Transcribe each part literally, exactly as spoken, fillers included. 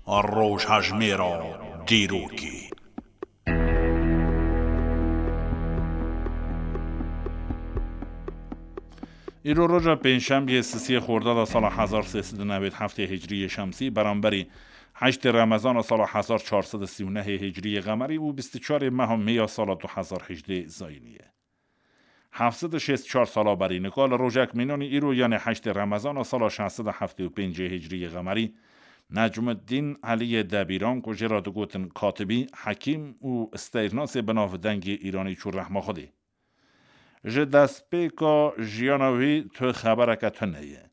Rojhejmêra dîrokê. Îro roja pêncşembiyê sisiyê Xordada sala hezar sê sed û newêd heftê hicriyê şemsî, beramberî heştê Remezana sala hezar çar sed û sî û nehê hicriyê qemerî û bîst û çarê meha Mê ya sala du hezar hejdê zayînî ye. Heft sed û şêst û çar sala berî nika li rojek mînanî îro, yanê heştê Remezana sala şeş sed û heftê û pêncê hicriyê qemerî, Necmuddîn Eliyê Debîran, ku jê re digotin Katibî, hekîm û steyrnasê bi navdengê Îranî, çû rehma Xwedê. Ji destpêka jiyana wî tu xebereke tune ye.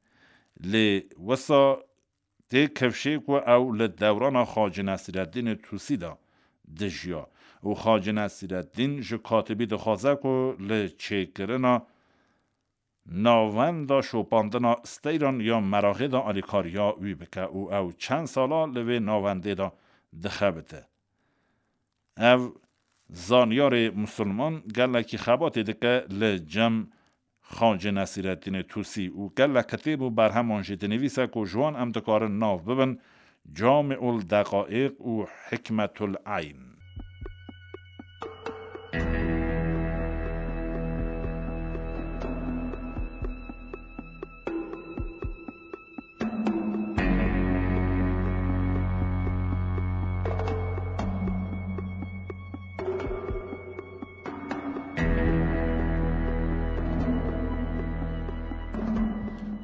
Lê wisa tê kifşê ku ew li dewrana Xacî Nesîreddînê Tusî de dijiya û Xacî Nesîreddîn ji Katibî dixwaze ku li çêkirina navenda şopandina steyran ya Meraxê de alîkariya wî bike û ew çend sala li vê navendê de dixebite. Ev zanyarê misilman gelekî xebatê dike li cem Xacê Nesîreddînê Tusî û gelek kitêb û berheman jî dinivîse ku ji wan em dikarin nav bibin Camiul Deqaiq û Hikmetul Eyn.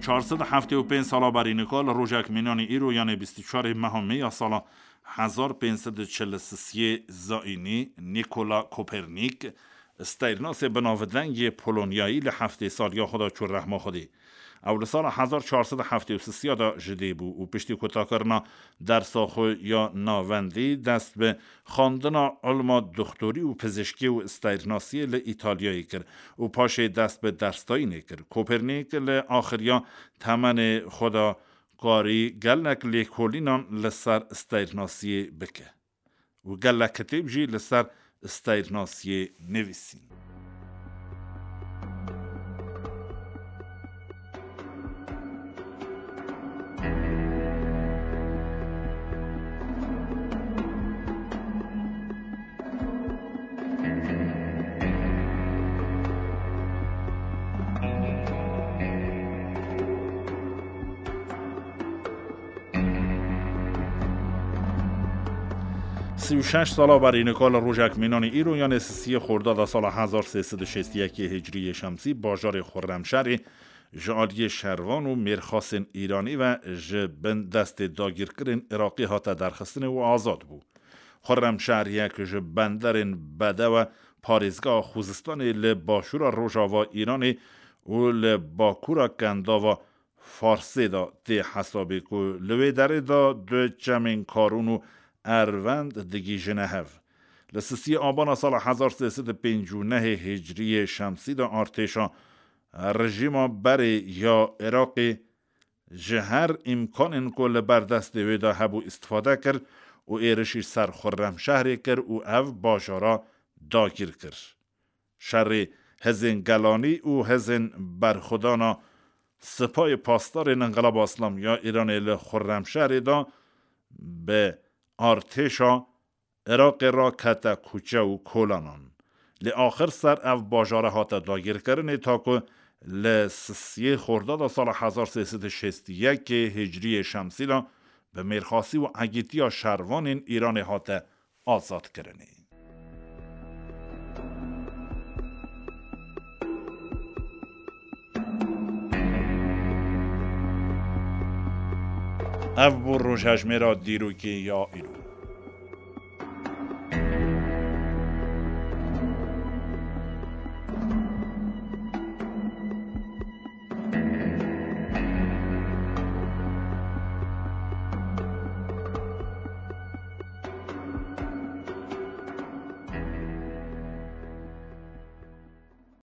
Çar sed û heftê û pênc sala berî nika li rojek mînanî îro, yanê bîst û çarê meha Mê ya sala hezar pênc sed û çil û sisiyê zayînî, Nîkola Kopernîk, steyrnasê bi navdengê Polonyayî, li heftê saliya xwe de çû rehma Xwedê. Ew li sala hezar çar sed û heftê û sisiya de ji dê bû û piştî kutakirina dersa xwe ya navendî, dest bi xwendina ilma doxtorî û pizişkî û steyrnasiyê li Îtalyayê kir û paşê dest bi dersdayînê kir. Kopernîk li axiriya temenê xwe de karî gelek lêkolînan li ser steyrnasiyê bike û gelek kitêb jî li ser steyrnasiyê nivîsîn. Sî û şeş sala berî nika li rojek mînanî îro, yanê sisiyê Xordada sala hezar sê sed û şêst û yekê hicriyê şemsî, bajarê Xurremşerê ji aliyê şervan û mêrxasên Îranî ve ji bin destê dagîrkirên Iraqê hate derxistinê û azad bû. Xurremşehriyek ji benderên bedewe parêzgeha Xuzistanê li başûra rojava Îranê û li bakûra Kendava Farsê de tê hesabê ku li wê derê de du çemên Karûn û Ervend digihîjine hev. Li sisiyê Abana sala hezar sê sed û pêncî û nehê hicriyê şemsî de artêşa rejîma berê ya Iraqê ji her îmkanên ku li ber destê wê de hebû îstifade kir û êrişî ser Xurremşehrê kir û ev bajara dagîr kir. Şerê hizên gelanî û hizên berxwedana Sipayê Pasdarên Înqilaba Îslamî ya Îranê li Xurremşehrê de bi artêşa Iraqê re kete kûçe û kolanan. Lê axir ser ev bajare hate dagîrkirinê, ta ku li sisiyê Xordada sala hezar sê sed û şêst û yekê hicriyê şemsî de bi mêrxasî û egîtiya şervanên Îranê hate azadkirinê. Ev bû rojhejmêra dîrokê ya îro.